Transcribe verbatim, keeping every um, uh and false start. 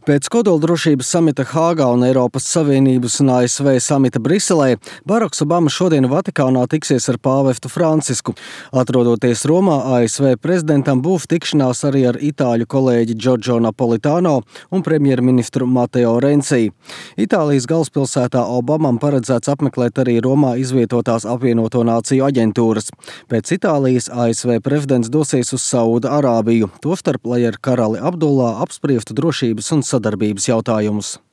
Pēc kodoldrošības samita Hāgā un Eiropas Savienības un A S V samita Briselē, Baraks Obama šodien Vatikānā tiksies ar pāvestu Francisku. Atrodoties Romā, A S V prezidentam būs tikšanās arī ar itāļu kolēģi Giorgio Napolitano un premjerministru Matteo Renzi. Itālijas galvaspilsētā Obamam paredzēts apmeklēt arī Romā izvietotās apvienoto nāciju aģentūras. Pēc Itālijas A S V prezidents dosies uz Sauda Arābiju, tostarp, lai ar karali Abdullā apspriestu drošības un sadarbības jautājumus.